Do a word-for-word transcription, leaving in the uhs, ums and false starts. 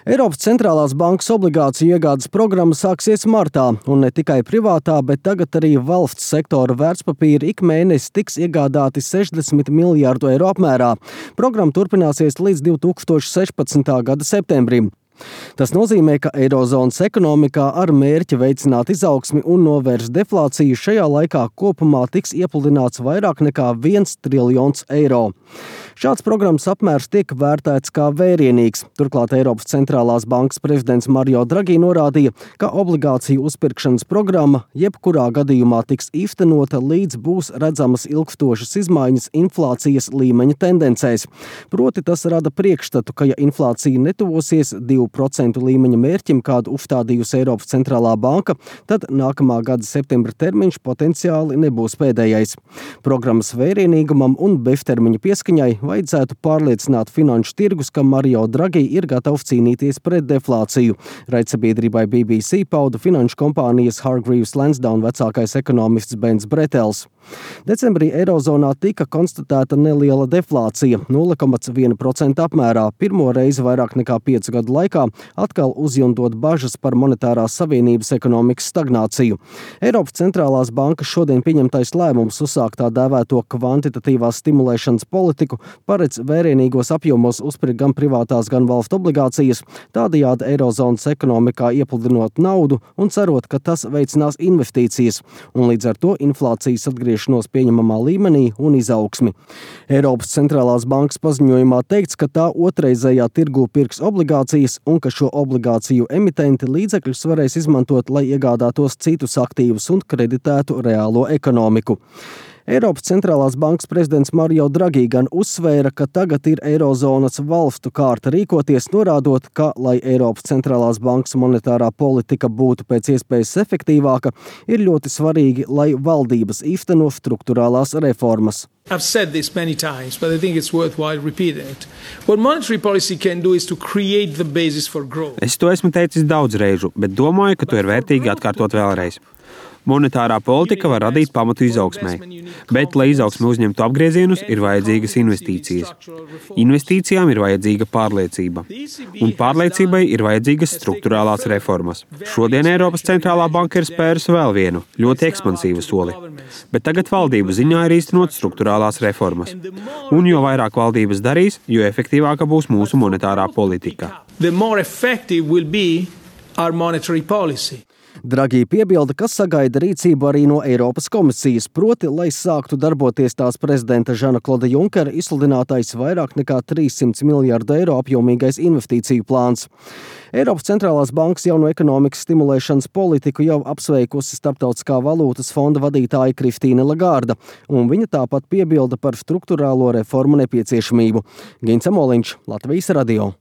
Eiropas centrālās bankas obligāciju iegādes programma sāksies martā, un ne tikai privātā, bet tagad arī valsts sektora vērtspapīri ik mēnesi tiks iegādāti sešdesmit miljārdu eiro apmērā. Programma turpināsies līdz divi tūkstoši sešpadsmitā gada septembrim. Tas nozīmē, ka Eirozonas ekonomikā ar mērķi veicināt izaugsmi un novērst deflāciju šajā laikā kopumā tiks iepludināts vairāk nekā viens triljons eiro. Šāds programmas apmērs tiek vērtēts kā vērienīgs. Turklāt Eiropas centrālās bankas prezidents Mario Draghi norādīja, ka obligāciju uzpirkšanas programma jebkurā gadījumā tiks īstenota, līdz būs redzamas ilgstošas izmaiņas inflācijas līmeņa tendencēs. Proti tas rada priekšstatu, ka ja inflācija netuvosies divu procentu līmeņa mērķim, kādu uzstādījusi Eiropas centrālā banka, tad nākamā gada septembra termiņš potenciāli nebūs pēdējais. Programmas vērienīgumam un beztermiņa pieskaņai vajadzētu pārliecināt finanšu tirgus, ka Mario Draghi ir gatavs cīnīties pret deflāciju. Raidsabiedrībai B B C pauda finanšu kompānijas Hargreaves Lansdowne vecākais ekonomists Bens Bretels. Decembrī Eirozonā tika konstatēta neliela deflācija – nulle komats viena procenta apmērā, pirmo reizi vairāk nekā piecu gadu laikā, atkal uzjundot bažas par monetārās savienības ekonomikas stagnāciju. Eiropas centrālās bankas šodien pieņemtais lēmums uzsākt tā dēvēto kvantitatīvās stimulēšanas politiku paredz vērienīgos apjomos uzpirkt gan privātās, gan valstu obligācijas, tādējādi Eirozonas ekonomikā iepludinot naudu un cerot, ka tas veicinās investīcijas un līdz ar to inflācijas atgriešanos pieņemamā līmenī un izaugsmi. Eiropas centrālās bankas paziņojumā teikts, ka tā otrreizējā tirgū pirks obligācijas un ka šo obligāciju emitenti līdzekļus varēs izmantot, lai iegādātos citus aktīvus un kreditētu reālo ekonomiku. Eiropas centrālās bankas prezidents Mario Draghi gan uzsvēra, ka tagad ir Eirozonas valstu kārta rīkoties, norādot, ka, lai Eiropas centrālās bankas monetārā politika būtu pēc iespējas efektīvāka, ir ļoti svarīgi, lai valdības īsteno strukturālās reformas. I've said this many times, but I think it's worthwhile repeating it. What monetary policy can do is to create the basis for growth. Es to esmu teicis daudz reižu, bet domāju, ka to ir vērtīgi atkārtot vēlreiz. Monetārā politika var radīt pamatu izaugsmai, bet, lai izaugsme uzņemtu apgriezienus, ir vajadzīgas investīcijas. Investīcijām ir vajadzīga pārliecība, un pārliecībai ir vajadzīgas strukturālās reformas. Šodien Eiropas centrālā banka ir spērusi vēl vienu, ļoti ekspansīvu soli, bet tagad valdību ziņā ir īstenot strukturālās reformas. Un jo vairāk valdības darīs, jo efektīvāka būs mūsu monetārā politika. The more effective will be our monetary policy. Draghi piebilda, ka sagaida rīcību arī no Eiropas komisijas, proti, lai sāktu darboties tās prezidenta Žana Kloda Junkera izsludinātais vairāk nekā trīssimts miljārdu eiro apjomīgais investīciju plāns. Eiropas centrālās bankas jauno ekonomikas stimulēšanas politiku jau apsveikusi Starptautiskā valūtas fonda vadītāja Kristīne Lagarda, un viņa tāpat piebilda par strukturālo reformu nepieciešamību. Gins Amoliņš, Latvijas radio.